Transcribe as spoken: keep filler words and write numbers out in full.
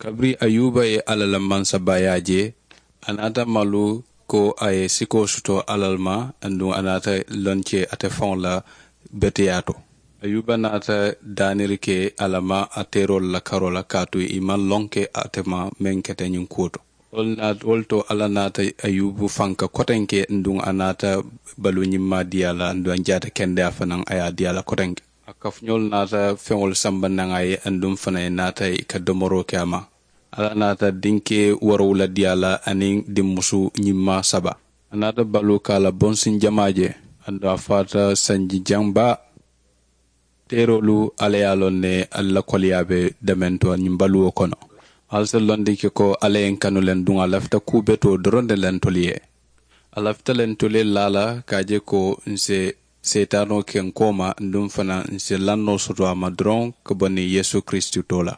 Kabiriŋ ayuba ye alla la mansabaayaa je, a naata malu ko a ye sikoo soto alla le ma. Aduŋ a naata loŋ ke ate faŋo la beteyaa to. Ayuba naata daaniri ke alla ma a teeroolu la karoo la kaatu i maŋ loŋ ke ate ma meŋ keta ñiŋ kuwo to. Wo le to alla naata ayuba fanka kotenke aduŋ a naata baluu ñimmaa dii a la aduŋ a jaata kendeyaa fanaŋ a ye a dii a la kotenke. A kafuñoolu naata feŋolu samba naŋ a ye aduŋ fanaŋ ye naata i ka domoroo ke a ma. Alla naata dinke woorowula dii a la aniŋ dinmusu ñimmaa saba. A naata baluu ka a la bonsiŋ jamaa je. Aduŋ a faata sanji jaŋ baa. Teeroolu alla ye a loŋ ne alla la koleyaa be dementoo ñiŋ baluwo kono. Alla si londi ke ko alla ye n kanu le aduŋ a lafita kuu betoo doroŋ ne le ntolu ye. A lafita le ntolu ye laa la ka a je ko n si seetaanoo ke n kooma aduŋ fanaa n si lannoo soto a ma doroŋ ka bo niŋ yeesu kiristu too la.